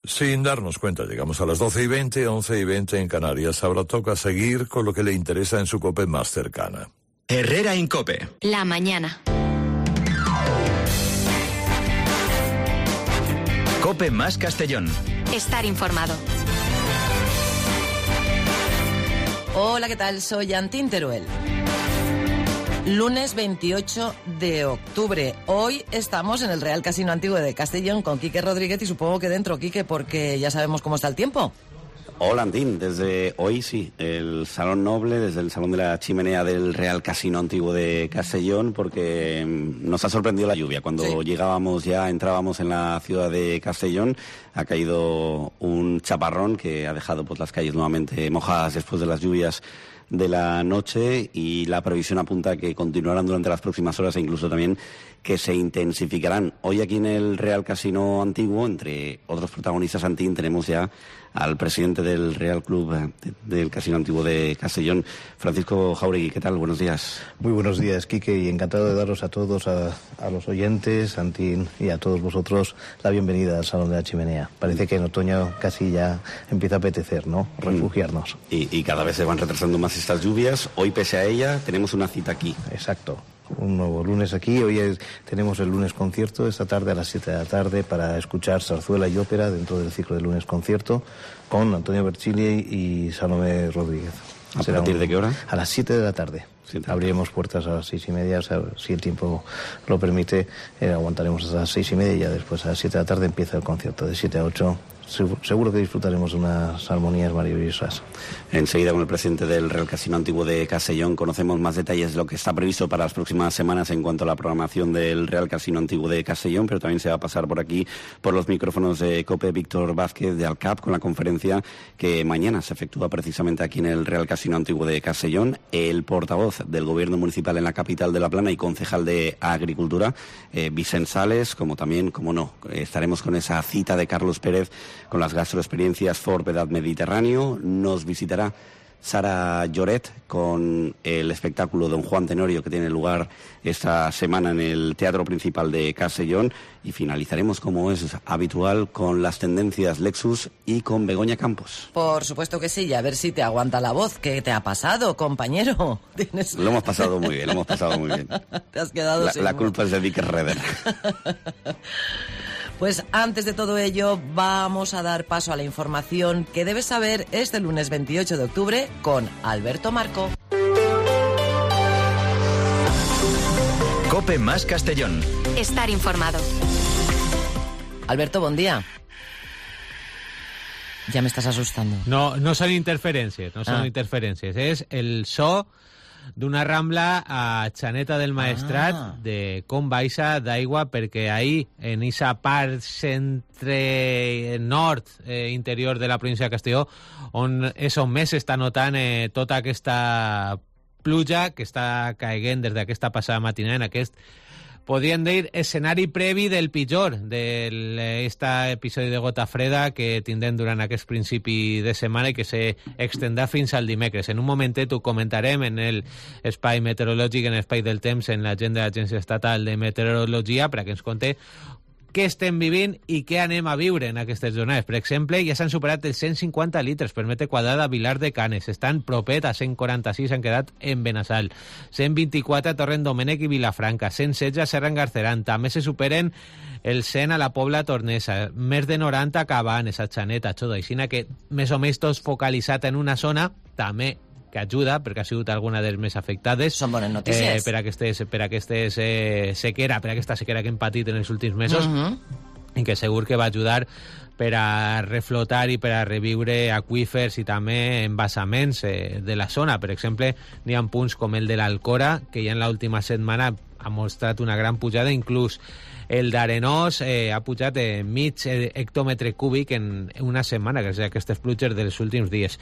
Sin darnos cuenta, llegamos a las 12:20, 11:20 en Canarias. Ahora toca seguir con lo que le interesa en su COPE más cercana. Herrera en COPE. La mañana. COPE más Castellón. Estar informado. Hola, ¿qué tal? Soy Antín Teruel. Lunes 28 de octubre. Hoy estamos en el Real Casino Antiguo de Castellón con Quique Rodríguez y supongo que dentro, Quique, porque ya sabemos cómo está el tiempo. Hola, Antín. Desde hoy sí, el Salón Noble, desde el Salón de la Chimenea del Real Casino Antiguo de Castellón, porque nos ha sorprendido la lluvia. Cuando entrábamos en la ciudad de Castellón, ha caído un chaparrón que ha dejado pues las calles nuevamente mojadas después de las lluvias de la noche, y la previsión apunta a que continuarán durante las próximas horas e incluso también que se intensificarán. Hoy aquí en el Real Casino Antiguo, entre otros protagonistas, Antín, tenemos ya al presidente del Real Club del Casino Antiguo de Castellón, Francisco Jauregui. ¿Qué tal? Buenos días. Muy buenos días, Quique, y encantado de daros a todos, a los oyentes, Antín, y a todos vosotros la bienvenida al Salón de la Chimenea. Parece que en otoño casi ya empieza a apetecer, ¿no? Refugiarnos. Y cada vez se van retrasando más estas lluvias. Hoy, pese a ella, tenemos una cita aquí. Exacto. Un nuevo lunes aquí. Hoy tenemos el lunes concierto, esta tarde a las 7 de la tarde, para escuchar zarzuela y ópera dentro del ciclo del lunes concierto con Antonio Berchili y Salomé Rodríguez. ¿A partir de qué hora? A las 7 de la tarde. Abriremos puertas a las 6:30, o sea, si el tiempo lo permite, aguantaremos hasta las 6:30 y ya después a las 7 de la tarde empieza el concierto, de 7 a 8. Seguro que disfrutaremos de unas armonías maravillosas. Enseguida, con el presidente del Real Casino Antiguo de Castellón, conocemos más detalles de lo que está previsto para las próximas semanas en cuanto a la programación del Real Casino Antiguo de Castellón, pero también se va a pasar por aquí, por los micrófonos de COPE, Víctor Vázquez de Alcap, con la conferencia que mañana se efectúa precisamente aquí en el Real Casino Antiguo de Castellón. El portavoz del Gobierno Municipal en la capital de La Plana y concejal de Agricultura, Vicent Sales, como también, como no, estaremos con esa cita de Carlos Pérez con las gastroexperiencias Forb Edad Mediterráneo. Nos visitará Sara Lloret con el espectáculo Don Juan Tenorio, que tiene lugar esta semana en el Teatro Principal de Castellón, y finalizaremos, como es habitual, con las tendencias Lexus y con Begoña Campos. Por supuesto que sí, y a ver si te aguanta la voz. ¿Qué te ha pasado, compañero? Lo hemos pasado muy bien, Te has quedado la culpa es de Vic Redder. Pues antes de todo ello, vamos a dar paso a la información que debes saber este lunes 28 de octubre con Alberto Marco. COPE más Castellón. Estar informado. Alberto, buen día. Ya me estás asustando. No son interferencias, es el so d'una rambla a Xaneta del Maestrat de com baixa d'aigua, perquè ahir en esa part centre-nord interior de la província de Castelló és on més s'està notant tota aquesta pluja que està caiguent des d'aquesta passada matinada en aquest, podríem dir, escenari previ del pitjor d'aquest episodi de gota freda que tindrem durant aquest principi de setmana i que s'extendrà fins al dimecres. En un momentet ho comentarem en l'espai meteorològic, en l'espai del temps, en la gent de l'Agència Estatal de Meteorologia, per a que ens conté què estem vivint i què anem a viure en aquestes jornades. Per exemple, ja s'han superat els 150 litres per metre quadrat a Vilar de Canes. Estan propet a 146, han quedat en Benassal. 124 a Torrent Domènec i Vilafranca. 116 a Serra en Garceran. També se superen el 100 a la Pobla Tornesa. Més de 90 a Cabanes, a Xaneta, a Xodoixina, que més o menys tots focalitzat en una zona, també que ajuda, perquè ha sigut alguna de les més afectades. Són bones notícies. Per aquesta sequera que hem patit en els últims mesos, i que segur que va ajudar per a reflotar i per a reviure aqüífers i també embassaments de la zona. Per exemple, n'hi ha punts com el de l'Alcora, que ja en l'última setmana ha mostrat una gran pujada, inclús el d'Arenós ha pujat mig hectòmetre cúbic en una setmana, gràcies a aquestes pluges dels últims dies.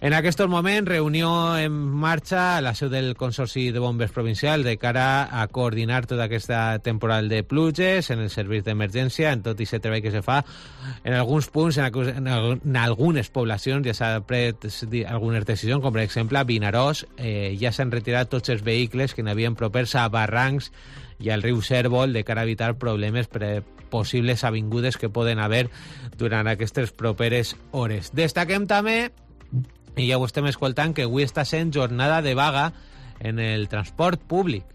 En aquests moments, reunió en marxa a la seu del Consorci de Bombers Provincial de cara a coordinar tota aquesta temporal de pluges en el servei d'emergència, en tot aquest treball que se fa. En alguns punts, en algunes poblacions, ja s'ha pres algunes decisions, com per exemple a Vinaròs, ja s'han retirat tots els vehicles que n'havien propers a barrancs i al riu Cérvol de cara a evitar problemes per possibles avingudes que poden haver durant aquestes properes hores. Destaquem també, i ja ho estem escoltant, que avui està sent jornada de vaga en el transport públic.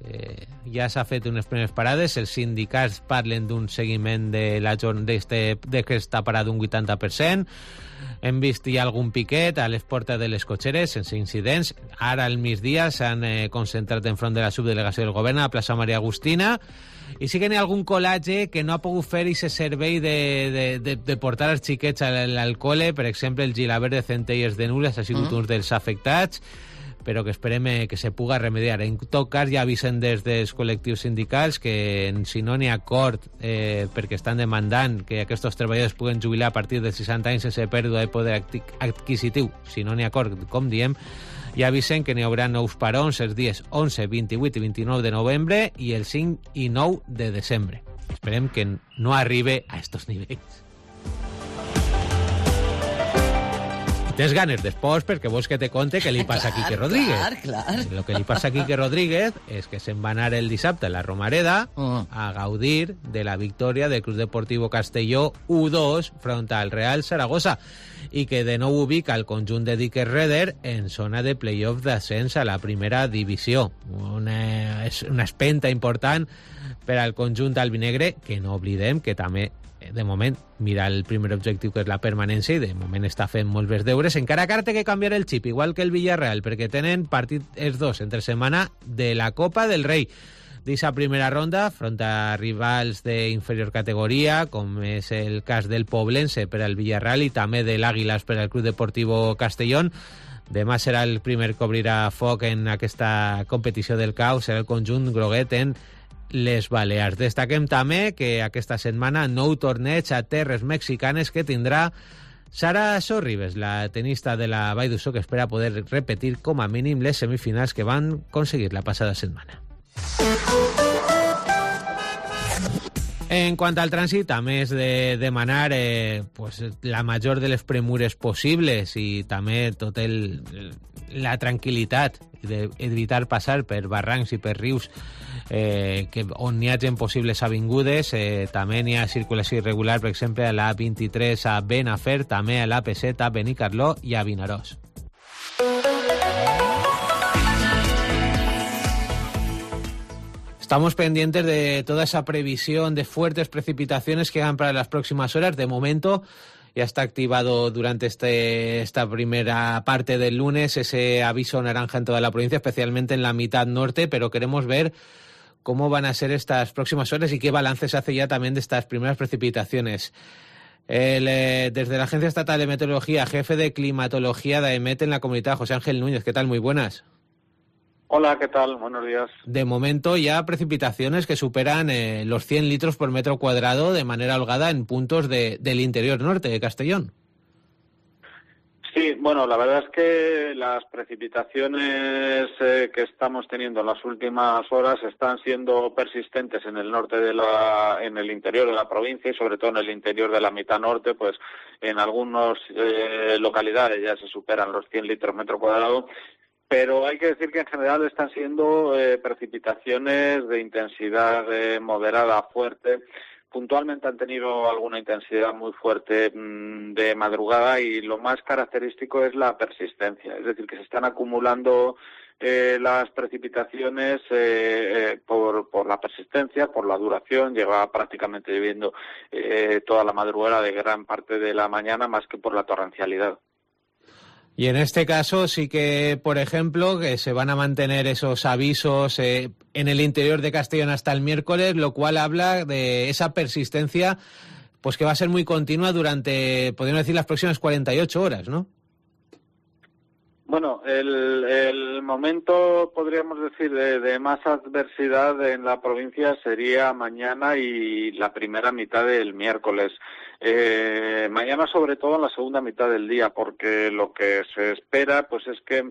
Ja s'ha fet unes primeres parades, els sindicats parlen d'un seguiment d'aquesta parada d'un 80%, hem vist ja algun piquet a les portes de les cotxeres sense incidents. Ara al migdia s'han concentrat enfront de la subdelegació del govern a la plaça Maria Agustina, i sí que n'hi ha algun col·latge que no ha pogut fer aquest servei de portar els xiquets al col·le. Per exemple, el Gilabert de Centelles de Nules ha sigut un dels afectats, però que esperem que se puga remediar. En tot cas, ja avisen des dels col·lectius sindicals que si no n'hi ha acord, perquè estan demandant que aquests treballadors puguen jubilar a partir de 60 anys sense pèrdua de poder adquisitiu, si no n'hi ha acord, com diem, ja avisen que n'hi haurà nous parons els dies 11, 28 i 29 de novembre i el 5 i 9 de desembre. Esperem que no arribe a estos nivells. Tens ganes d'esports perquè vols que te conte què li passa a Quique Rodríguez. Clar. Lo que li passa a Quique Rodríguez és que se'n va anar el dissabte a la Romareda a gaudir de la victòria del Club Deportivo Castelló 1-2 front al Real Zaragoza i que de nou ubica el conjunt de Dick Reder en zona de playoff d'ascens a la primera divisió. És una espenta important per al conjunt albinegre, que no oblidem que també de moment mira el primer objectiu, que és la permanència, i de moment està fent molts bé deures, encara que ara té que canviar el xip, igual que el Villarreal, perquè tenen partit els dos entre setmana de la Copa del Rei d'esa primera ronda front a rivals d'inferior categoria, com és el cas del Poblense per al Villarreal i també de l'Àguilas per al Club Deportivo Castellón. Demà serà el primer que obrirà foc en aquesta competició del CAO, serà el conjunt groguet en les Balears. Destaquem també que aquesta setmana nou torneig a terres mexicanes que tindrà Sara Sorribes, la tenista de la Vall d'Uixó, que espera poder repetir com a mínim les semifinals que van aconseguir la passada setmana. En quant al trànsit, a més de demanar la major de les premures possibles i també la tranquil·litat d'evitar passar per barrancs i per rius on n'hi hagi possibles avingudes, també n'hi ha circulació irregular, per exemple, a l'A23 a Benafer, també a l'AP7 a Benicarló i a Vinaròs. Estamos pendientes de toda esa previsión de fuertes precipitaciones que hagan para las próximas horas. De momento ya está activado durante esta primera parte del lunes ese aviso naranja en toda la provincia, especialmente en la mitad norte, pero queremos ver cómo van a ser estas próximas horas y qué balance se hace ya también de estas primeras precipitaciones. Desde la Agencia Estatal de Meteorología, jefe de climatología de AEMET en la comunidad, José Ángel Núñez. ¿Qué tal? Muy buenas. Hola, ¿qué tal? Buenos días. De momento ya precipitaciones que superan los 100 litros por metro cuadrado de manera holgada en puntos del interior norte de Castellón. Sí, bueno, la verdad es que las precipitaciones que estamos teniendo en las últimas horas están siendo persistentes en el norte en el interior de la provincia y sobre todo en el interior de la mitad norte, pues en algunas localidades ya se superan los 100 litros metro cuadrado. Pero hay que decir que en general están siendo precipitaciones de intensidad moderada a fuerte. Puntualmente han tenido alguna intensidad muy fuerte de madrugada y lo más característico es la persistencia. Es decir, que se están acumulando las precipitaciones por la persistencia, por la duración. Lleva prácticamente lloviendo toda la madrugada de gran parte de la mañana, más que por la torrencialidad. Y en este caso sí que, por ejemplo, que se van a mantener esos avisos en el interior de Castellón hasta el miércoles, lo cual habla de esa persistencia, pues que va a ser muy continua durante, podríamos decir, las próximas 48 horas, ¿no? Bueno, el momento, podríamos decir, de más adversidad en la provincia sería mañana y la primera mitad del miércoles. Mañana sobre todo en la segunda mitad del día, porque lo que se espera pues es que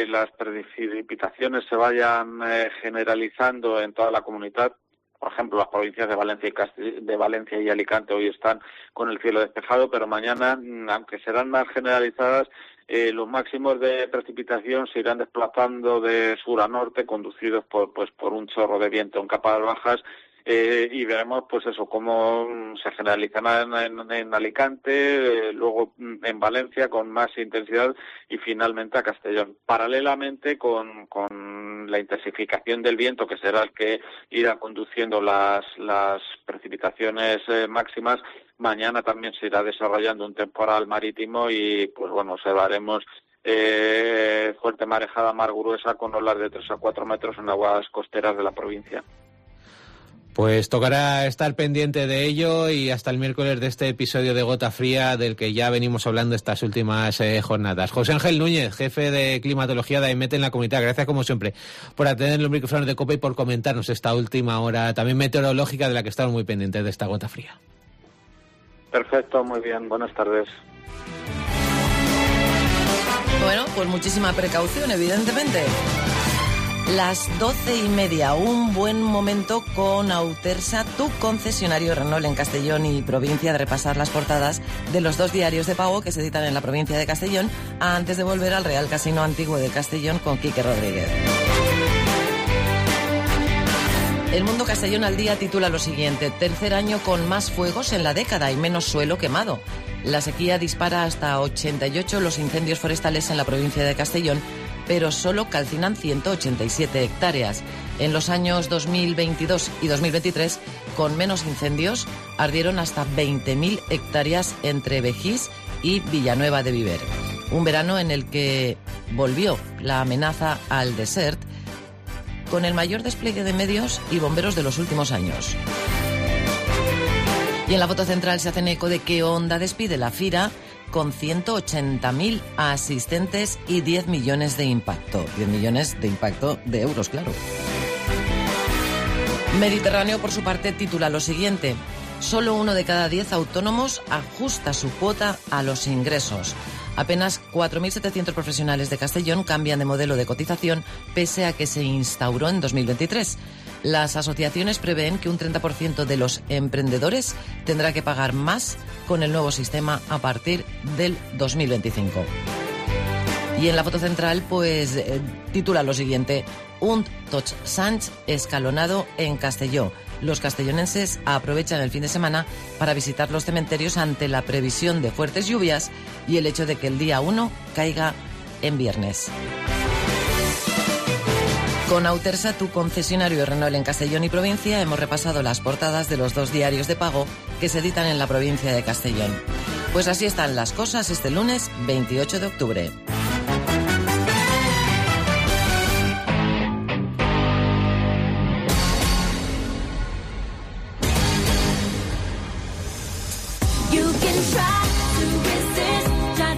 las precipitaciones se vayan generalizando en toda la comunidad. Por ejemplo, las provincias de Valencia y Alicante hoy están con el cielo despejado, pero mañana, aunque serán más generalizadas, los máximos de precipitación se irán desplazando de sur a norte, conducidos por un chorro de viento en capas bajas, y veremos pues eso, cómo se generalizará en Alicante, luego en Valencia con más intensidad y finalmente a Castellón. Paralelamente con la intensificación del viento, que será el que irá conduciendo las precipitaciones máximas, mañana también se irá desarrollando un temporal marítimo y pues bueno, observaremos fuerte marejada mar gruesa con olas de 3 a 4 metros en aguas costeras de la provincia. Pues tocará estar pendiente de ello y hasta el miércoles de este episodio de Gota Fría del que ya venimos hablando estas últimas jornadas. José Ángel Núñez, jefe de climatología de AEMET en la comunidad, gracias como siempre por atender los micrófonos de COPE y por comentarnos esta última hora también meteorológica de la que estamos muy pendientes de esta Gota Fría. Perfecto, muy bien, buenas tardes. Bueno, pues muchísima precaución, evidentemente. Las 12:30, un buen momento con Autersa, tu concesionario Renault en Castellón y provincia, de repasar las portadas de los 2 diarios de pago que se editan en la provincia de Castellón antes de volver al Real Casino Antiguo de Castellón con Quique Rodríguez. El Mundo Castellón al Día titula lo siguiente: tercer año con más fuegos en la década y menos suelo quemado. La sequía dispara hasta 88 los incendios forestales en la provincia de Castellón, pero solo calcinan 187 hectáreas. En los años 2022 y 2023, con menos incendios, ardieron hasta 20.000 hectáreas entre Begís y Villanueva de Viver. Un verano en el que volvió la amenaza al desert, con el mayor despliegue de medios y bomberos de los últimos años. Y en la foto central se hacen eco de que Honda despide la Fira con 180.000 asistentes y 10 millones de impacto. 10 millones de impacto de euros, claro. Mediterráneo, por su parte, titula lo siguiente: solo 1 de cada 10 autónomos ajusta su cuota a los ingresos. Apenas 4.700 profesionales de Castellón cambian de modelo de cotización pese a que se instauró en 2023. Las asociaciones prevén que un 30% de los emprendedores tendrá que pagar más con el nuevo sistema a partir del 2025. Y en la foto central, pues, titula lo siguiente: un Tots Sants escalonado en Castelló. Los castellonenses aprovechan el fin de semana para visitar los cementerios ante la previsión de fuertes lluvias y el hecho de que el día 1 caiga en viernes. Con Autersa, tu concesionario Renault en Castellón y provincia, hemos repasado las portadas de los 2 diarios de pago que se editan en la provincia de Castellón. Pues así están las cosas este lunes 28 de octubre.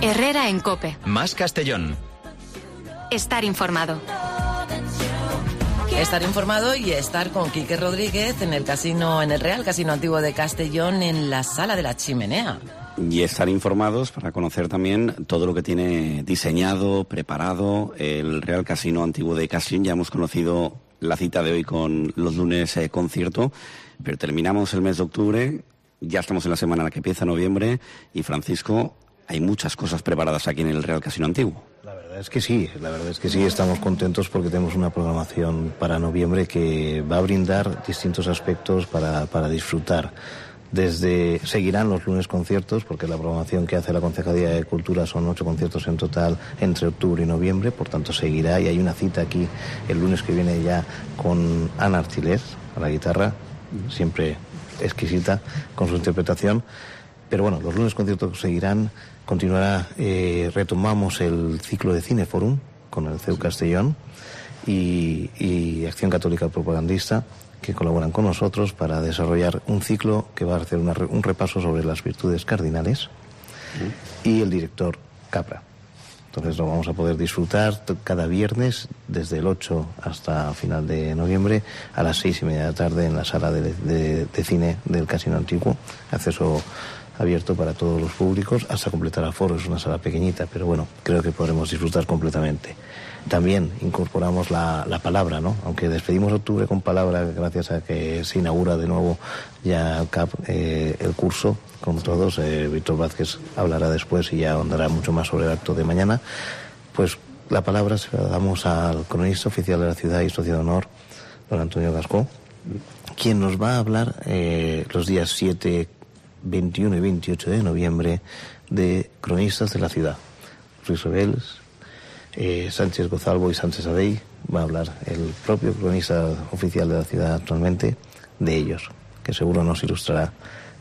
Herrera en COPE. Más Castellón. Estar informado. Estar informado y estar con Quique Rodríguez en el Real Casino Antiguo de Castellón, en la Sala de la Chimenea. Y estar informados para conocer también todo lo que tiene diseñado, preparado el Real Casino Antiguo de Castellón. Ya hemos conocido la cita de hoy con los lunes concierto, pero terminamos el mes de octubre, ya estamos en la semana en la que empieza noviembre y, Francisco, hay muchas cosas preparadas aquí en el Real Casino Antiguo. La verdad es que sí, estamos contentos porque tenemos una programación para noviembre que va a brindar distintos aspectos para disfrutar. Seguirán los lunes conciertos, porque la programación que hace la Concejalía de Cultura son 8 conciertos en total entre octubre y noviembre, por tanto seguirá, y hay una cita aquí el lunes que viene ya con Ana Artilés a la guitarra, siempre exquisita con su interpretación. Pero bueno, los lunes conciertos seguirán, continuará, retomamos el ciclo de Cineforum con el CEU Castellón y Acción Católica Propagandista, que colaboran con nosotros para desarrollar un ciclo que va a hacer un repaso sobre las virtudes cardinales, y el director Capra. Entonces lo vamos a poder disfrutar cada viernes desde el 8 hasta final de noviembre a las 6:30 de la tarde en la sala de cine del Casino Antiguo. Acceso abierto para todos los públicos hasta completar aforo. Es una sala pequeñita, pero bueno, creo que podremos disfrutar completamente. También incorporamos la palabra, ¿no? Aunque despedimos octubre con palabra, gracias a que se inaugura de nuevo ya el curso con todos. Víctor Vázquez hablará después y ya ahondará mucho más sobre el acto de mañana. Pues la palabra se la damos al cronista oficial de la ciudad y socio de honor, don Antonio Gascó, quien nos va a hablar los días 7, 21 y 28 de noviembre de cronistas de la ciudad. Ruiz Rebels, Sánchez Gozalvo y Sánchez Adey. Va a hablar el propio cronista oficial de la ciudad actualmente de ellos, que seguro nos ilustrará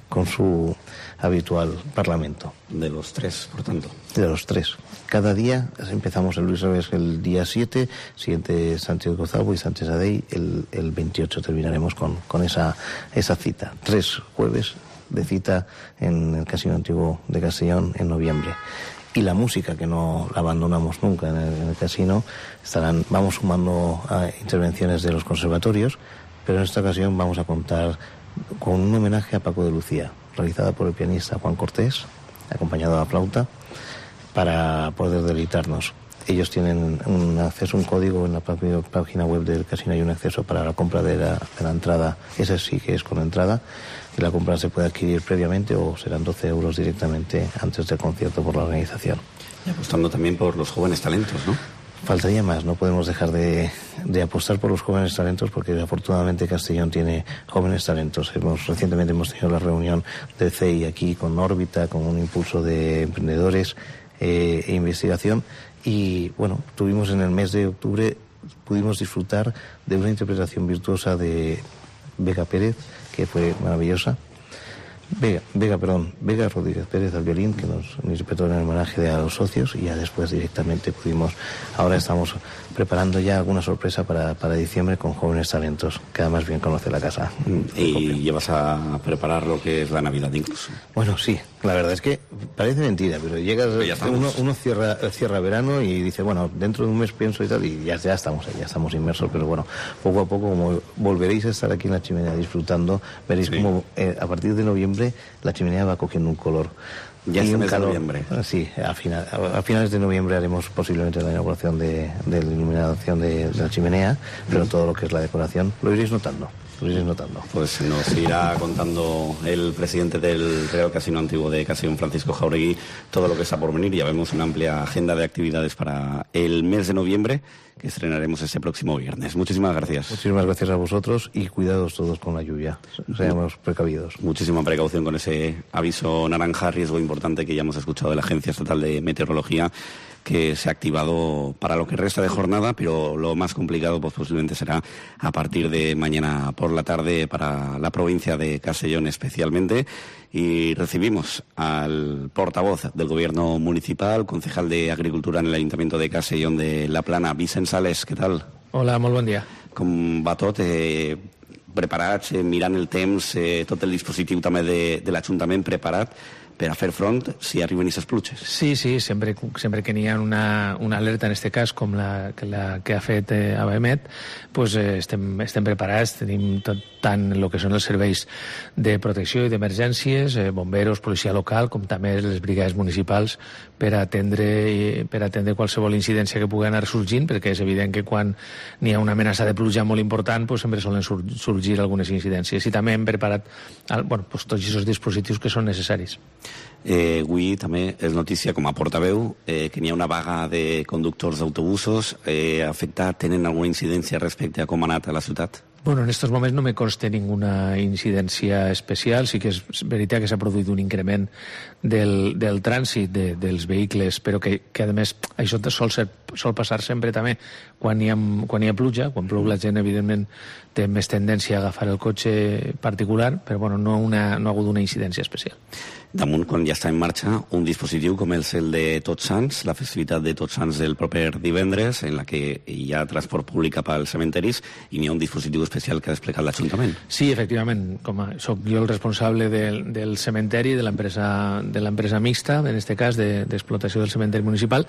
con su habitual parlamento. De los tres, por tanto. De los tres. Cada día empezamos el Luis Revés el día 7, siguiente Sánchez Gozalvo y Sánchez Adey, el 28 terminaremos con esa cita. 3 jueves de cita en el Casino Antiguo de Castellón en noviembre. Y la música, que no la abandonamos nunca en el casino, vamos sumando a intervenciones de los conservatorios, pero en esta ocasión vamos a contar con un homenaje a Paco de Lucía, realizada por el pianista Juan Cortés, acompañado a la flauta, para poder deleitarnos. Ellos tienen un acceso, un código en la página web del casino, hay un acceso para la compra de la entrada, ese sí que es con entrada, y la compra se puede adquirir previamente o serán 12 euros directamente antes del concierto por la organización. Y apostando también por los jóvenes talentos, ¿no? Faltaría más, no podemos dejar de apostar por los jóvenes talentos, porque afortunadamente Castellón tiene jóvenes talentos. Recientemente hemos tenido la reunión del CEI aquí con órbita, con un impulso de emprendedores e investigación, y bueno, tuvimos en el mes de octubre, pudimos disfrutar de una interpretación virtuosa de Vega Pérez, que fue maravillosa. Vega Rodríguez Pérez al violín, que nos interpretó en el homenaje a los socios, y ya después directamente ahora estamos preparando ya alguna sorpresa para diciembre con jóvenes talentos, que además bien conoce la casa. Y llevas a preparar lo que es la Navidad incluso. Bueno, sí, la verdad es que parece mentira, pero uno cierra verano y dice, bueno, dentro de un mes pienso y tal, y ya estamos ahí, ya estamos inmersos, pero bueno, poco a poco, como volveréis a estar aquí en la chimenea disfrutando, veréis como a partir de noviembre la chimenea va cogiendo un color. Ya es el mes de noviembre. Sí, a finales de noviembre haremos posiblemente la inauguración de la iluminación de la chimenea, pero todo lo que es la decoración lo iréis notando. Pues nos irá contando el presidente del Real Casino Antiguo de Castellón, Francisco Jauregui, todo lo que está por venir. Ya vemos una amplia agenda de actividades para el mes de noviembre, que estrenaremos este próximo viernes. Muchísimas gracias. Muchísimas gracias a vosotros y cuidados todos con la lluvia. Seamos precavidos. Muchísima precaución con ese aviso naranja, riesgo importante que ya hemos escuchado de la Agencia Estatal de Meteorología, que se ha activado para lo que resta de jornada, pero lo más complicado pues posiblemente será a partir de mañana por la tarde para la provincia de Castellón especialmente. Y recibimos al portavoz del Gobierno municipal, concejal de Agricultura en el Ayuntamiento de Castellón de la Plana, Vicent Sales. Què tal? Hola, molt bon dia. Com va tot? Preparats, mirant el temps, tot el dispositiu també de l'Ajuntament preparat per a fer front si arriben aquestes pluges. Sí, sempre que n'hi ha una alerta, en aquest cas, com la que ha fet ABMET, pues, estem preparats, tenim tant el que són els serveis de protecció i d'emergències, bomberos, policia local, com també les brigades municipals, per atendre qualsevol incidència que pugui anar sorgint, perquè és evident que quan n'hi ha una amenaça de pluja molt important, pues, sempre solen sorgir algunes incidències. I també hem preparat tots aquests dispositius que són necessaris. Avui també és notícia com a portaveu que n'hi ha una vaga de conductors d'autobusos. Tenen alguna incidència respecte a com ha anat a la ciutat? Bueno, en estos moments no me consta ninguna incidència especial. Sí que és veritat que s'ha produït un increment del trànsit dels vehicles, però que a més això sol passar sempre també quan hi ha pluja. Quan plou la gent, evidentment, té més tendència a agafar el cotxe particular, però bueno, no ha hagut una incidència especial. Damunt, quan ja està en marxa un dispositiu com és el de Tots Sants, la festivitat de Tots Sants del proper divendres, en la que hi ha transport públic cap als cementeris i n'hi ha un dispositiu especial que ha desplegat l'Ajuntament. Sí, efectivament. Soc jo el responsable del cementeri, de l'empresa mixta, en aquest cas, d'explotació del cementeri municipal,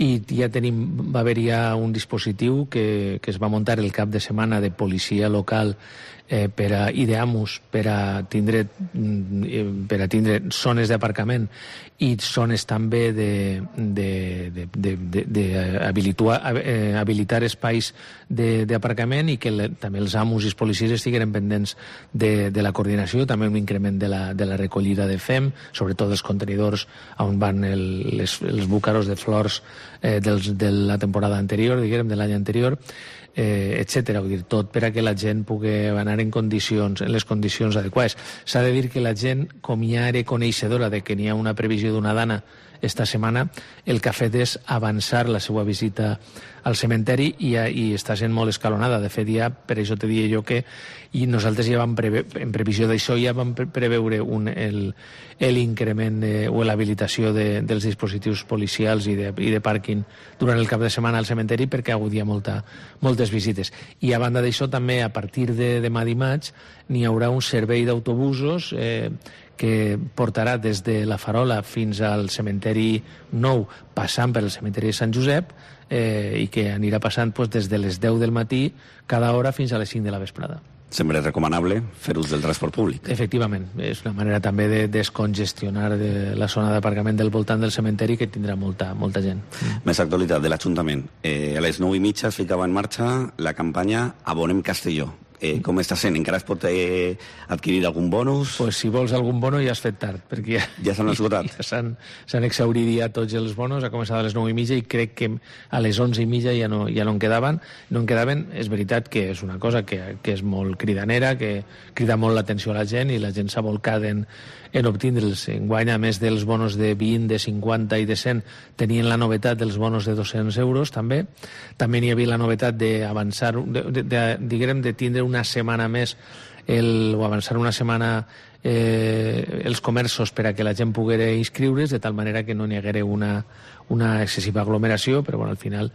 i ja va haver un dispositiu que es va muntar el cap de setmana de policia local i d'AMUS per a tindre zones d'aparcament i zones també habilitar espais d'aparcament i que també els amos i els policies estiguin pendents de la coordinació, també un increment de la recollida de fem, sobretot dels contenidors on van els búcaros de flors de la temporada anterior, diguem, de l'any anterior, etcètera. Vull dir, tot per a que la gent pugui anar en les condicions adequades. S'ha de dir que la gent, com ja era coneixedora de que n'hi ha una previsió d'una dana esta setmana, el que ha fet és avançar la seva visita al cementeri i està sent molt escalonada. De fet, ja, per això te diria jo que i nosaltres ja vam en previsió d'això ja vam preveure l'increment o l'habilitació dels dispositius policials i de pàrquing durant el cap de setmana al cementeri perquè ha hagut ja moltes visites. I a banda d'això també a partir de demà dimarts n'hi haurà un servei d'autobusos que portarà des de la Farola fins al cementeri nou, passant per el cementeri de Sant Josep, i que anirà passant des de les 10 del matí cada hora fins a les 5 de la vesprada. Sempre és recomanable fer ús del transport públic. Efectivament, és una manera també de descongestionar la zona d'aparcament del voltant del cementeri que tindrà molta gent. Més actualitat de l'Ajuntament. A les 9:30 es ficava en marxa la campanya Abonem Castelló. Com està sent? Encara es pot adquirir algun bonus? Pues si vols algun bono ja has fet tard, perquè ja s'han esgotat. Ja s'han exhaurit ja tots els bonos, ha començat a les 9:30 i crec que a les 11:30 ja no en quedaven. No en quedaven, és veritat que és una cosa que és molt cridanera, que crida molt l'atenció a la gent i la gent s'ha volcat en obtindre'ls. Enguany, a més dels bonos de 20, de 50 i de 100, tenien la novetat dels bonos de 200 euros també. També n'hi havia la novetat d'avançar, diguem, de tindre una setmana més o avançar una setmana els comerços per a que la gent poguera inscriure's, de tal manera que no n'hi haguera una excessiva aglomeració, però bueno, al final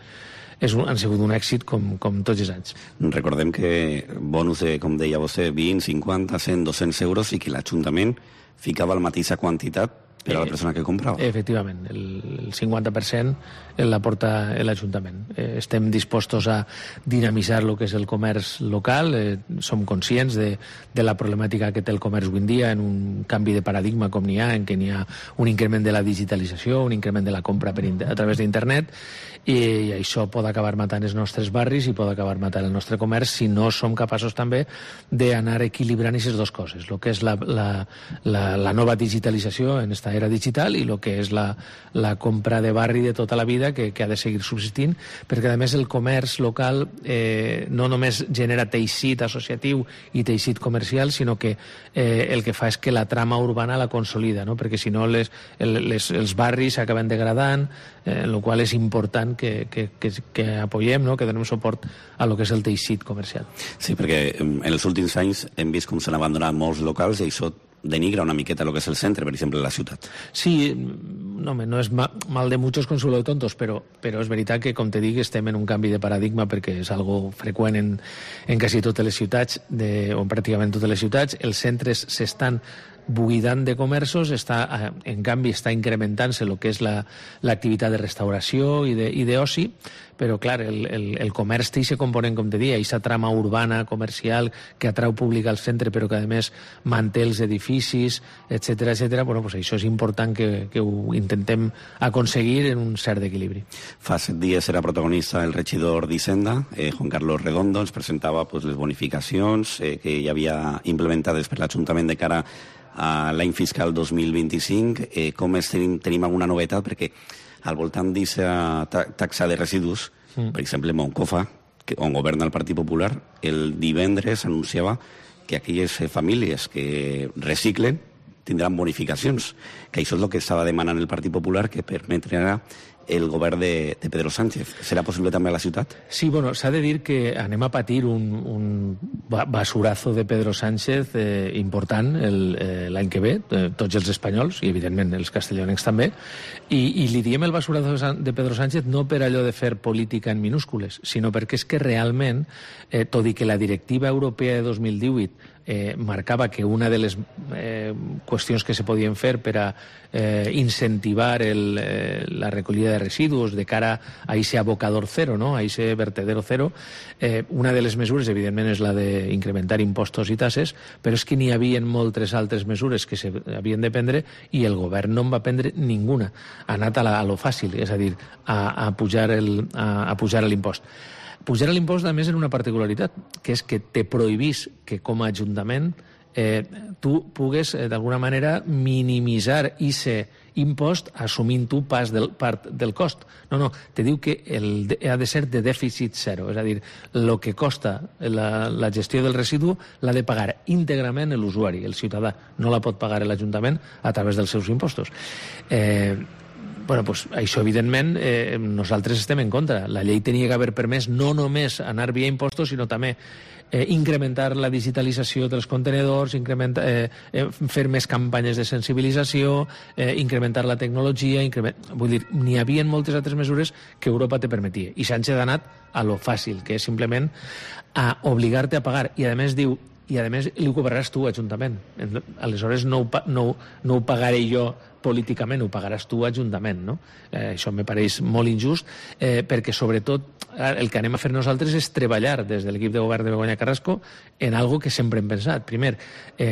han sigut un èxit com tots els anys. Recordem que bonus de, com deia vostè, 20, 50, 100, 200 euros i que l'Ajuntament ficava la mateixa quantitat per a la persona que comprava. Efectivament, el 50% l'aporta l'Ajuntament. Estem dispostos a dinamitzar el que és el comerç local, som conscients de la problemàtica que té el comerç avui en dia en un canvi de paradigma com n'hi ha, en què n'hi ha un increment de la digitalització, un increment de la compra a través d'internet, i això pot acabar matant els nostres barris i pot acabar matant el nostre comerç si no som capaços també d'anar equilibrant aquestes dues coses, el que és la nova digitalització en esta era digital i el que és la compra de barri de tota la vida que ha de seguir subsistint, perquè a més el comerç local no només genera teixit associatiu i teixit comercial, sinó que el que fa és que la trama urbana la consolida, no? Perquè si no els barris s'acaben degradant, el qual és important que apoyem, no? Que donem suport a lo que és el teixit comercial. Sí, perquè en els últims anys hem vist com s'han abandonat molts locals i això denigra una miqueta lo que és el centre, per exemple, la ciutat. Sí, no és mal de muchos consuelo de tontos, però és veritat que, com te dic, estem en un canvi de paradigma perquè és algo freqüent en quasi totes les ciutats, o en pràcticament totes les ciutats. Els centres s'estan buidant de comerços, en canvi està incrementant-se el que és l'activitat de restauració i d'oci, però clar, el comerç té aquest component, com te deia, aquesta trama urbana, comercial, que atrau públic al centre però que a més manté els edificis, etcètera. Bueno, pues això és important que ho intentem aconseguir en un cert equilibri. Fa 7 dies era protagonista el regidor d'Hisenda, Juan Carlos Redondo, ens presentava les bonificacions que hi havia implementades per l'Ajuntament de cara a l'any fiscal 2025. Com tenim alguna novetat? Perquè al voltant d'aquesta taxa de residus, per exemple, Moncofa, on governa el Partit Popular, el divendres anunciava que aquelles famílies que reciclen tindran bonificacions, que això és el que estava demanant el Partit Popular, que permetrà el govern de Pedro Sánchez. Serà possible també a la ciutat? Sí, bueno, s'ha de dir que anem a patir un basurazo de Pedro Sánchez important l'any que ve, tots els espanyols, i evidentment els castellonencs també, i li diem el basurazo de Pedro Sánchez no per allò de fer política en minúscules, sinó perquè és que realment, tot i que la directiva europea de 2018 marcava que una de les qüestions que se podien fer per a incentivar la recollida de residus de cara a ese abocador cero, ¿no? A ese vertedero cero, una de les mesures, evidentment, és la d'incrementar impostos i tasses, però és que n'hi havia moltes altres mesures que s'havien de prendre i el govern no en va prendre ninguna. Ha anat a lo fàcil, és a dir, a pujar l'impost. Pujar l'impost, a més, en una particularitat, que és que te prohibís que com a Ajuntament tu pugues, d'alguna manera, minimitzar aquest impost assumint tu part del cost. No, te diu que ha de ser de dèficit zero, és a dir, el que costa la gestió del residu l'ha de pagar íntegrament l'usuari, el ciutadà. No la pot pagar l'Ajuntament a través dels seus impostos. Això, evidentment, nosaltres estem en contra. La llei tenia que haver permès no només anar via impostos, sinó també incrementar la digitalització dels contenedors, fer més campanyes de sensibilització, incrementar la tecnologia... Vull dir, n'hi havia moltes altres mesures que Europa te permetia. I Sánchez ha anat a lo fàcil, que és simplement a obligar-te a pagar. I a més diu, li ho cobraràs tu, Ajuntament. Aleshores no ho pagaré jo políticament, ho pagaràs tu, Ajuntament, no? Això me pareix molt injust, perquè sobretot el que anem a fer nosaltres és treballar des de l'equip de govern de Begoña Carrasco en algo que sempre hem pensat. Primer,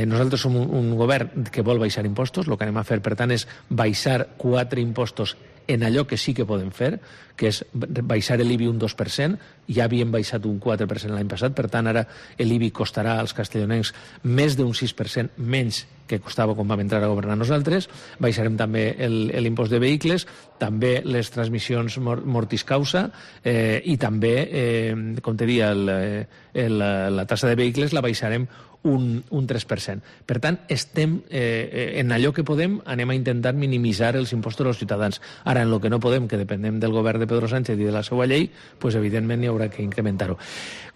nosaltres som un govern que vol baixar impostos, el que anem a fer, per tant, és baixar 4 impostos en allò que sí que podem fer, que és baixar l'IBI un 2%, ja havíem baixat un 4% l'any passat, per tant ara l'IBI costarà als castellonencs més d'un 6% menys que costava quan vam entrar a governar nosaltres. Baixarem també l'impost de vehicles, també les transmissions mortis causa i també, com te dia, la tassa de vehicles la baixarem un 3%. Per tant, estem en allò que podem, anem a intentar minimitzar els impostos dels ciutadans. Ara, en el que no podem, que depenem del govern de Pedro Sánchez i de la seva llei, doncs evidentment hi haurà que incrementar-ho.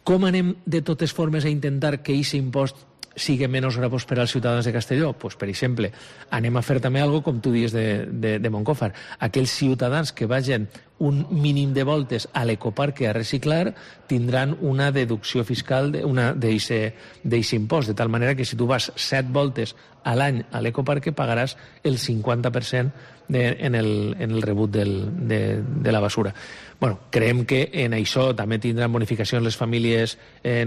Com anem de totes formes a intentar que aquest impost sigui menys gravós per als ciutadans de Castelló? Pues, per exemple, anem a fer també alguna cosa, com tu dius, de Moncófar. Aquells ciutadans que vagin un mínim de voltes a l'ecoparque a reciclar tindran una deducció fiscal d'aquest impost, de tal manera que si tu vas 7 voltes a l'any a l'ecoparque pagaràs el 50% en el rebut de la basura. Bueno, creiem que en això també tindran bonificacions les famílies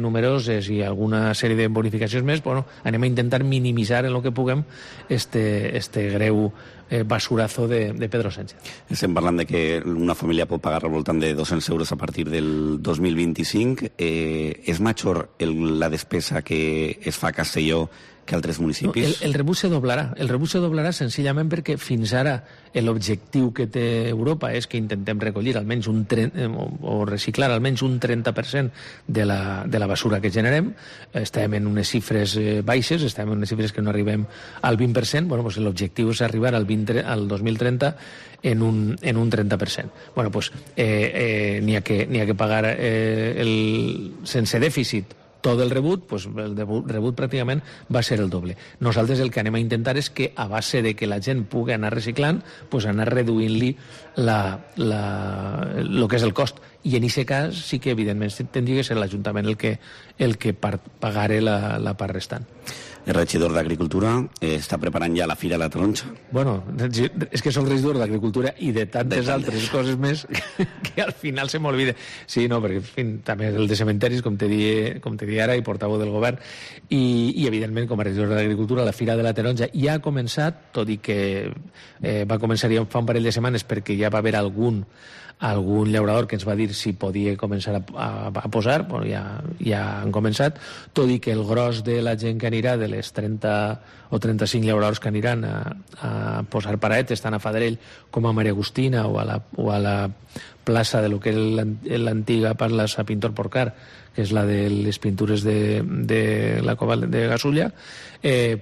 numeroses i alguna sèrie de bonificacions més. Bueno, anem a intentar minimitzar en el que puguem este greu basurazo de Pedro Sánchez. Estem parlant de que una família pot pagar al voltant de 200 euros a partir del 2025. És major la despesa que es fa a Castelló que altres municipis? El rebut se doblarà. El rebut se doblarà senzillament perquè fins ara l'objectiu que té Europa és que intentem recollir almenys o reciclar almenys un 30% de la basura que generem. Estem en unes xifres baixes, estem en unes xifres que no arribem al 20%. Bueno, doncs l'objectiu és arribar al 2030 en un 30%. Bueno, doncs n'hi ha que pagar sense dèficit tot el rebut, doncs el rebut pràcticament va ser el doble. Nosaltres el que anem a intentar és que a base de que la gent pugui anar reciclant, doncs anar reduint-li el que és el cost. I en aquest cas sí que evidentment tindria que ser l'Ajuntament el que pagarà la part restant. El regidor d'Agricultura està preparant ja la Fira de la Taronja. Bueno, és que soc regidor d'Agricultura i de tantes altres coses més que al final se m'olvida. Sí, no, perquè en fi, també el de cementaris, com te di ara, i portaveu del govern, i evidentment com a regidor d'Agricultura la Fira de la Taronja ja ha començat, tot i que va començar ja fa un parell de setmanes perquè ja va haver algun llaurador que ens va dir si podia començar a posar. Bueno, ja han començat, tot i que el gros de la gent que anirà, de les 30 o 35 llauradors que aniran a posar paraetes tant a Faderell com a Maria Agustina o a la plaça de lo que és l'antiga plaça Pintor Porcar, que és la de les pintures de la cova de Gasulla,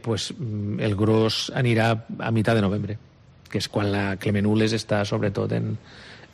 pues el gros anirà a mitjà de novembre, que és quan la Clemenules està sobretot en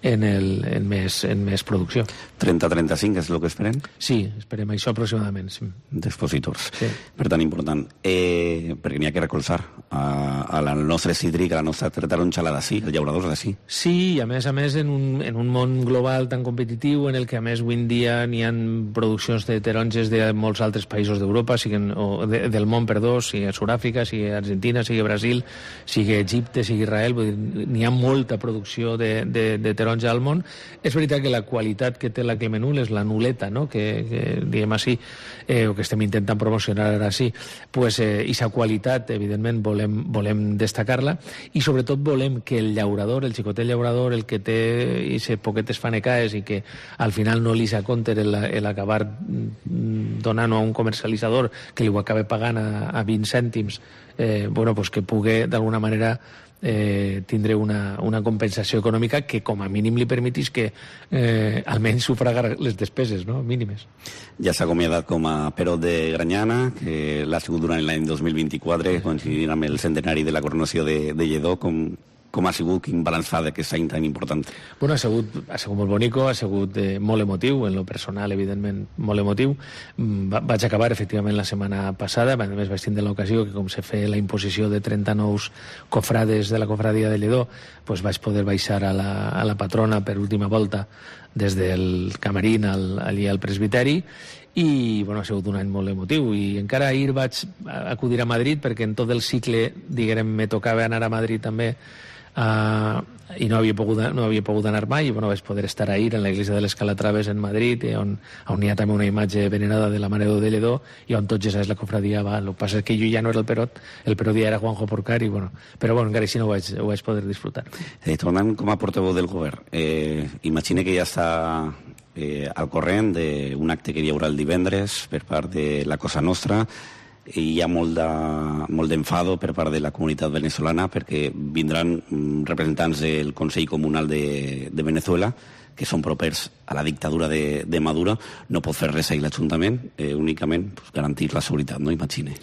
en més producció. 30-35 és el que esperem? Sí, esperem això aproximadament. Sí. D'expositors. Sí. Per tant, important. Perquè n'hi ha que recolzar al nostre cítric, a la nostra taronxala d'ací, els llauradors d'ací. Sí, i a més, en un món global tan competitiu, en el que a més avui en dia n'hi ha produccions de taronges de molts altres països d'Europa, del món, sigui Sud-àfrica, sigui Argentina, sigui Brasil, sigui Egipte, sigui Israel, n'hi ha molta producció de taronja al món. És veritat que la qualitat que té la Clemenul és la nuleta, no? que diguem així, o que estem intentant promocionar ara sí, pues, i sa qualitat, evidentment, volem destacar-la, i sobretot volem que el llaurador, el xicotet llaurador, el que té aquestes poquetes fanecaes i que al final no li s'aconter l'acabar donant a un comercialitzador que li ho acabe pagant a 20 cèntims, pues que pugui d'alguna manera tindre una compensació econòmica que com a mínim li permetis que almenys sufragar les despeses, no? Mínimes. Ja s'ha acomiadat com a Perot de Granyana, que l'ha sigut durant l'any 2024, coincidint amb el centenari de la coronació de Lledó. Com ha sigut, quin balanç fa d'aquest any tan important? Bueno, ha sigut molt bonic, ha sigut molt emotiu, en lo personal, evidentment, molt emotiu. Vaig acabar, efectivament, la setmana passada, a més vaig tindre l'ocasió que com se feia la imposició de 30 nous cofrades de la cofradia de Lledó, pues vaig poder baixar a la patrona per última volta des del camarín allí al presbiteri, i ha sigut un any molt emotiu, i encara ahir vaig acudir a Madrid perquè en tot el cicle, diguem, me tocava anar a Madrid també, i no havia pogut anar mai, i vaig poder estar ahir en la iglesia de les Calatraves en Madrid, on hi ha també una imatge venerada de la Mare de Lledó, i on tots ja saps la cofradia va. El que passa és que jo ja no era el Perot ja era Juanjo Porcar, però encara així no ho vaig poder disfrutar. Tornant com a portaveu del govern, imagine que ja està al corrent d'un acte que hi haurà el divendres per part de la Cosa Nostra, i hi ha molt d'enfado per part de la comunitat venezolana perquè vindran representants del Consell Comunal de Venezuela, que són propers a la dictadura de Maduro. No pot fer res ahir l'Ajuntament, únicament garantir la seguretat, no? Imagine.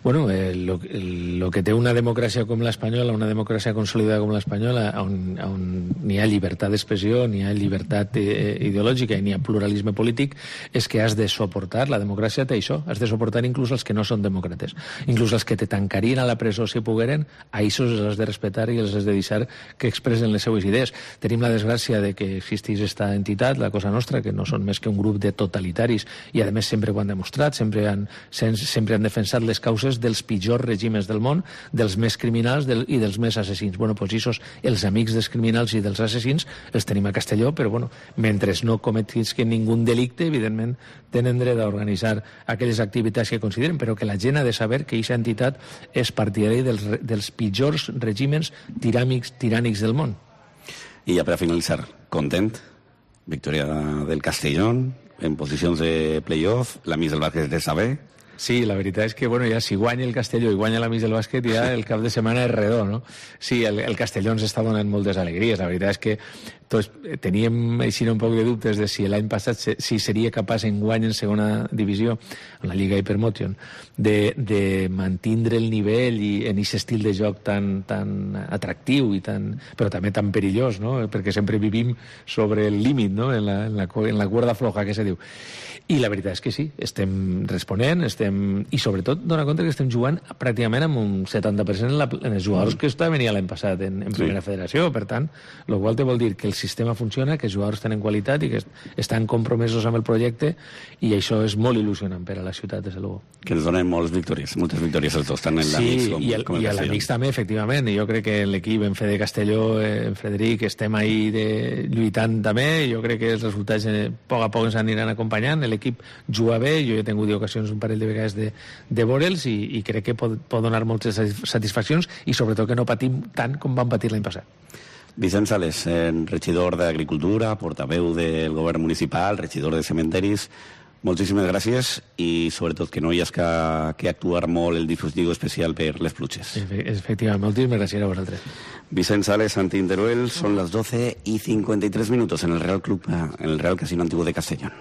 Bueno, lo que té una democràcia com l'espanyola, una democràcia consolidada com l'espanyola, on n'hi ha llibertat d'expressió, n'hi ha llibertat ideològica i n'hi ha pluralisme polític, és que has de suportar, la democràcia té això, has de suportar inclús els que no són demòcrates, inclús els que te tancarien a la presó si pogueren, a això els has de respectar i els has de deixar que expressen les seues idees. Tenim la desgràcia de que existís esta entitat, la Cosa Nostra, que no són més que un grup de totalitaris, i a més sempre ho han demostrat, sempre han defensat les causes dels pitjors règimes del món, dels més criminals i dels més assassins. Pues els amics dels criminals i dels assassins els tenim a Castelló, però mentre no cometisquen ningú delicte, evidentment tenen dret a organitzar aquelles activitats que consideren, però que la gent ha de saber que aquesta entitat és partidària dels pitjors règimes tirànics del món. I ja per a finalitzar, content? Victòria del Castellón, en posicions de play-off, la Miss del bàsquet de saber. Sí, la veritat és que, ja si guanya el Castelló i guanya la Miss del bàsquet, ja el cap de setmana és redó, no? Sí, el Castelló ens està donant moltes alegries. La veritat és que tots teníem així un poc de dubtes de si l'any passat si seria capaç en guany en segona divisió, en la Lliga Hypermotion, de mantindre el nivell i en aquest estil de joc tan atractiu però també tan perillós, no? Perquè sempre vivim sobre el límit, no? En la cuerda floja, que se diu. I la veritat és que sí, estem responent, i sobretot dona compte que estem jugant pràcticament amb un 70% en els jugadors que estaven l'any passat en primera federació. Per tant, el qual te vol dir que el sistema funciona, que els jugadors tenen qualitat i que estan compromesos amb el projecte, i això és molt il·lusionant per a la ciutat, des de luego. Que ens donen moltes victòries els dos, tant en l'Amics com el Castelló. Sí, i a l'Amics també, efectivament. Jo crec que l'equip en Fede Castelló, en Frederic, estem ahí lluitant també. Jo crec que els resultats a poc ens aniran acompanyant. L'equip juga bé, jo he tingut ocasions un parell de vegades de veure'ls, i crec que pot donar moltes satisfaccions, i sobretot que no patim tant com vam patir l'any passat. Vicent Sales, regidor d'Agricultura, portaveu del govern municipal, regidor de cementeris, moltíssimes gràcies, i sobretot que no hi has que actuar molt el dispositiu especial per les pluges. Efectivament, moltíssimes gràcies a vosaltres. Vicent Sales, Santi Teruel, son las 12:53 en el Real Casino Antiguo de Castellón.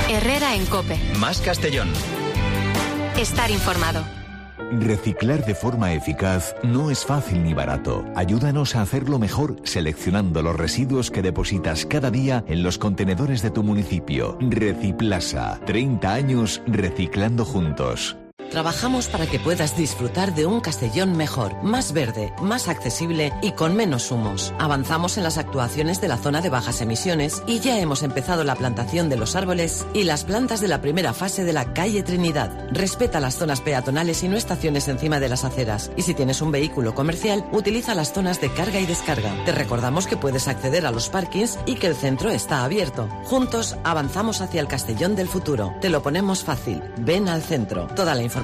Herrera en COPE. Más Castellón. Estar informado. Reciclar de forma eficaz no es fácil ni barato. Ayúdanos a hacerlo mejor seleccionando los residuos que depositas cada día en los contenedores de tu municipio. Reciplasa. 30 años reciclando juntos. Trabajamos para que puedas disfrutar de un Castellón mejor, más verde, más accesible y con menos humos. Avanzamos en las actuaciones de la zona de bajas emisiones y ya hemos empezado la plantación de los árboles y las plantas de la primera fase de la calle Trinidad. Respeta las zonas peatonales y no estaciones encima de las aceras. Y si tienes un vehículo comercial, utiliza las zonas de carga y descarga. Te recordamos que puedes acceder a los parkings y que el centro está abierto. Juntos avanzamos hacia el Castellón del futuro. Te lo ponemos fácil. Ven al centro. Toda la información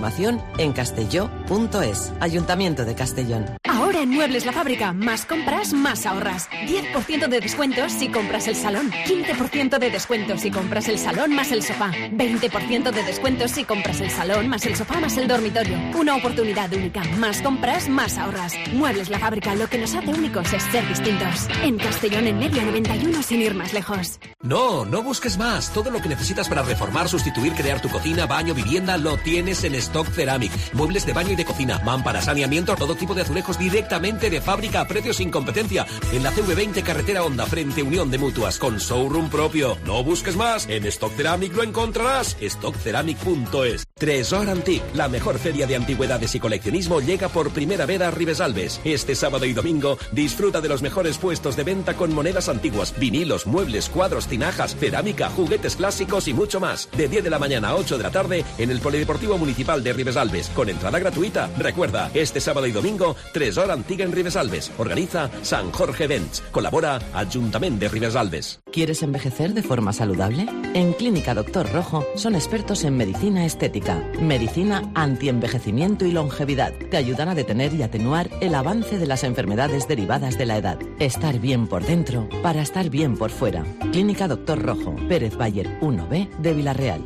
en castelló.es. Ayuntamiento de Castellón. Ahora en Muebles La Fábrica, más compras, más ahorras. 10% de descuentos si compras el salón. 15% de descuentos si compras el salón más el sofá. 20% de descuentos si compras el salón más el sofá más el dormitorio. Una oportunidad única. Más compras, más ahorras. Muebles La Fábrica, lo que nos hace únicos es ser distintos. En Castellón, en medio 91, sin ir más lejos. No busques más. Todo lo que necesitas para reformar, sustituir, crear tu cocina, baño, vivienda, lo tienes en Stock Ceramic. Muebles de baño y de cocina, mamparas, saneamiento, todo tipo de azulejos directamente de fábrica a precios sin competencia. En la CV20 Carretera Honda, frente Unión de Mutuas, con showroom propio. No busques más. En Stock Ceramic lo encontrarás. stockceramic.es. Tresor Antique, la mejor feria de antigüedades y coleccionismo, llega por primera vez a Ribesalbes. Este sábado y domingo disfruta de los mejores puestos de venta con monedas antiguas, vinilos, muebles, cuadros, tinajas, cerámica, juguetes clásicos y mucho más. De 10 de la mañana a 8 de la tarde en el Polideportivo Municipal de Ribesalbes, con entrada gratuita. Recuerda, este sábado y domingo, Tresor Antique en Ribesalbes. Organiza San Jorge Events. Colabora Ayuntamiento de Ribesalbes. ¿Quieres envejecer de forma saludable? En Clínica Doctor Rojo son expertos en medicina estética, medicina antienvejecimiento y longevidad. Te ayudan a detener y atenuar el avance de las enfermedades derivadas de la edad. Estar bien por dentro para estar bien por fuera. Clínica Doctor Rojo, Pérez Bayer 1B de Villarreal.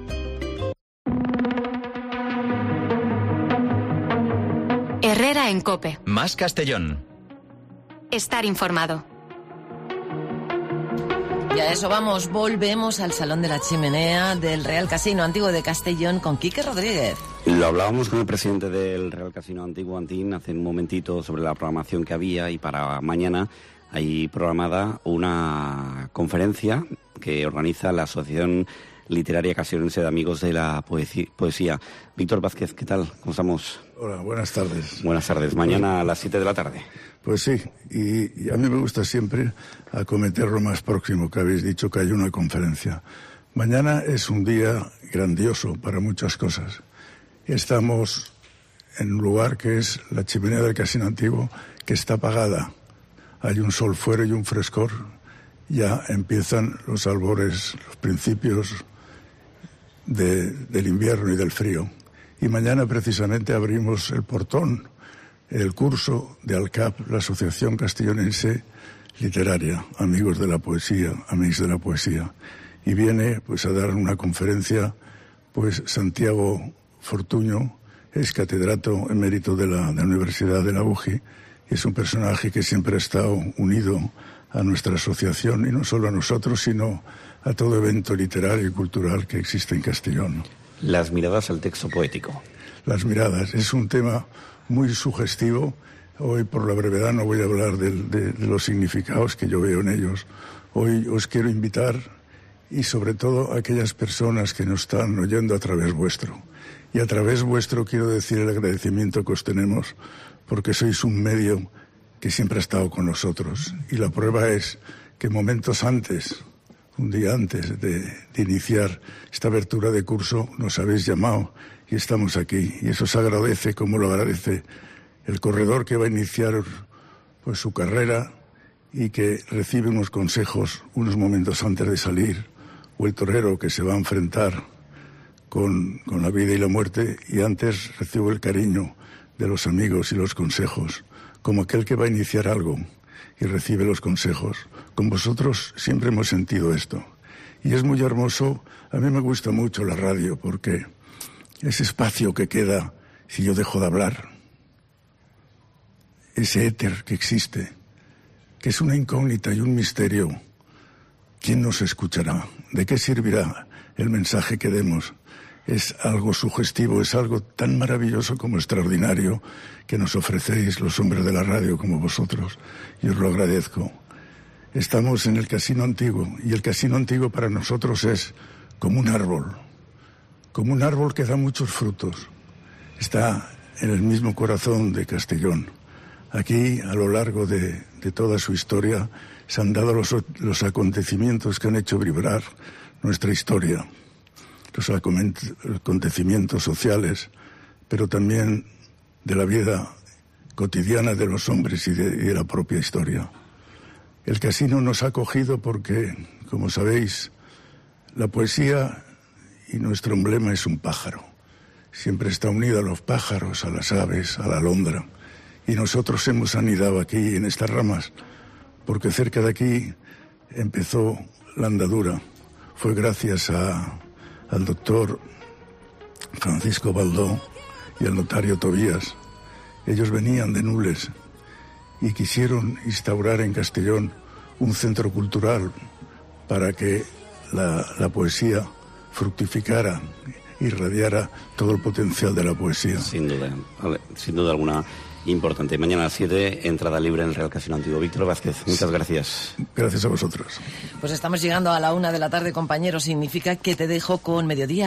Herrera en COPE. Más Castellón. Estar informado. Y a eso vamos, volvemos al Salón de la Chimenea del Real Casino Antiguo de Castellón con Quique Rodríguez. Lo hablábamos con el presidente del Real Casino Antiguo, Antín, hace un momentito sobre la programación que había, y para mañana hay programada una conferencia que organiza la Asociación Literaria Castellonense de Amigos de la Poesía. Víctor Vázquez, ¿qué tal? ¿Cómo estamos? Hola, buenas tardes. Buenas tardes. Mañana a las 7 de la tarde. Pues sí, y a mí me gusta siempre acometer lo más próximo que habéis dicho, que hay una conferencia. Mañana es un día grandioso para muchas cosas. Estamos en un lugar que es la chimenea del Casino Antiguo, que está apagada. Hay un sol fuera y un frescor. Ya empiezan los albores, los principios del invierno y del frío. Y mañana precisamente abrimos el portón, el curso de ALCAP, la Asociación Castellonense Literaria, Amigos de la Poesía, Amigos de la Poesía. Y viene pues a dar una conferencia pues Santiago Fortuño, es catedrático emérito de la Universidad de la UGI, y es un personaje que siempre ha estado unido a nuestra asociación, y no solo a nosotros, sino a todo evento literario y cultural que existe en Castellón. Las miradas al texto poético. Las miradas, es un tema muy sugestivo. Hoy, por la brevedad, no voy a hablar de los significados que yo veo en ellos. Hoy os quiero invitar, y sobre todo a aquellas personas que nos están oyendo a través vuestro. Y a través vuestro quiero decir el agradecimiento que os tenemos, porque sois un medio que siempre ha estado con nosotros. Y la prueba es que momentos antes, un día antes de iniciar esta apertura de curso, nos habéis llamado y estamos aquí. Y eso se agradece, como lo agradece el corredor que va a iniciar pues su carrera y que recibe unos consejos unos momentos antes de salir, o el torero que se va a enfrentar con la vida y la muerte, y antes recibe el cariño de los amigos y los consejos, como aquel que va a iniciar algo y recibe los consejos. Con vosotros siempre hemos sentido esto. Y es muy hermoso. A mí me gusta mucho la radio, porque ese espacio que queda si yo dejo de hablar, ese éter que existe, que es una incógnita y un misterio. ¿Quién nos escuchará? ¿De qué servirá el mensaje que demos? es algo sugestivo, es algo tan maravilloso como extraordinario que nos ofrecéis los hombres de la radio como vosotros, y os lo agradezco. Estamos en el Casino Antiguo, y el Casino Antiguo para nosotros es como un árbol que da muchos frutos. Está en el mismo corazón de Castellón. Aquí, a lo largo de toda su historia, se han dado los acontecimientos que han hecho vibrar nuestra historia, los acontecimientos sociales, pero también de la vida cotidiana de los hombres y de la propia historia. El casino nos ha acogido porque, como sabéis, la poesía y nuestro emblema es un pájaro. Siempre está unido a los pájaros, a las aves, a la alondra. Y nosotros hemos anidado aquí en estas ramas, porque cerca de aquí empezó la andadura. Fue gracias al doctor Francisco Baldó y al notario Tobías. Ellos venían de Nules y quisieron instaurar en Castellón un centro cultural para que la poesía fructificara, irradiara todo el potencial de la poesía. Sin duda alguna. Importante. Mañana a las 7, entrada libre en el Real Casino Antiguo. Víctor Vázquez, muchas gracias. Gracias a vosotros. Pues estamos llegando a la 1 de la tarde, compañeros. Significa que te dejo con Mediodía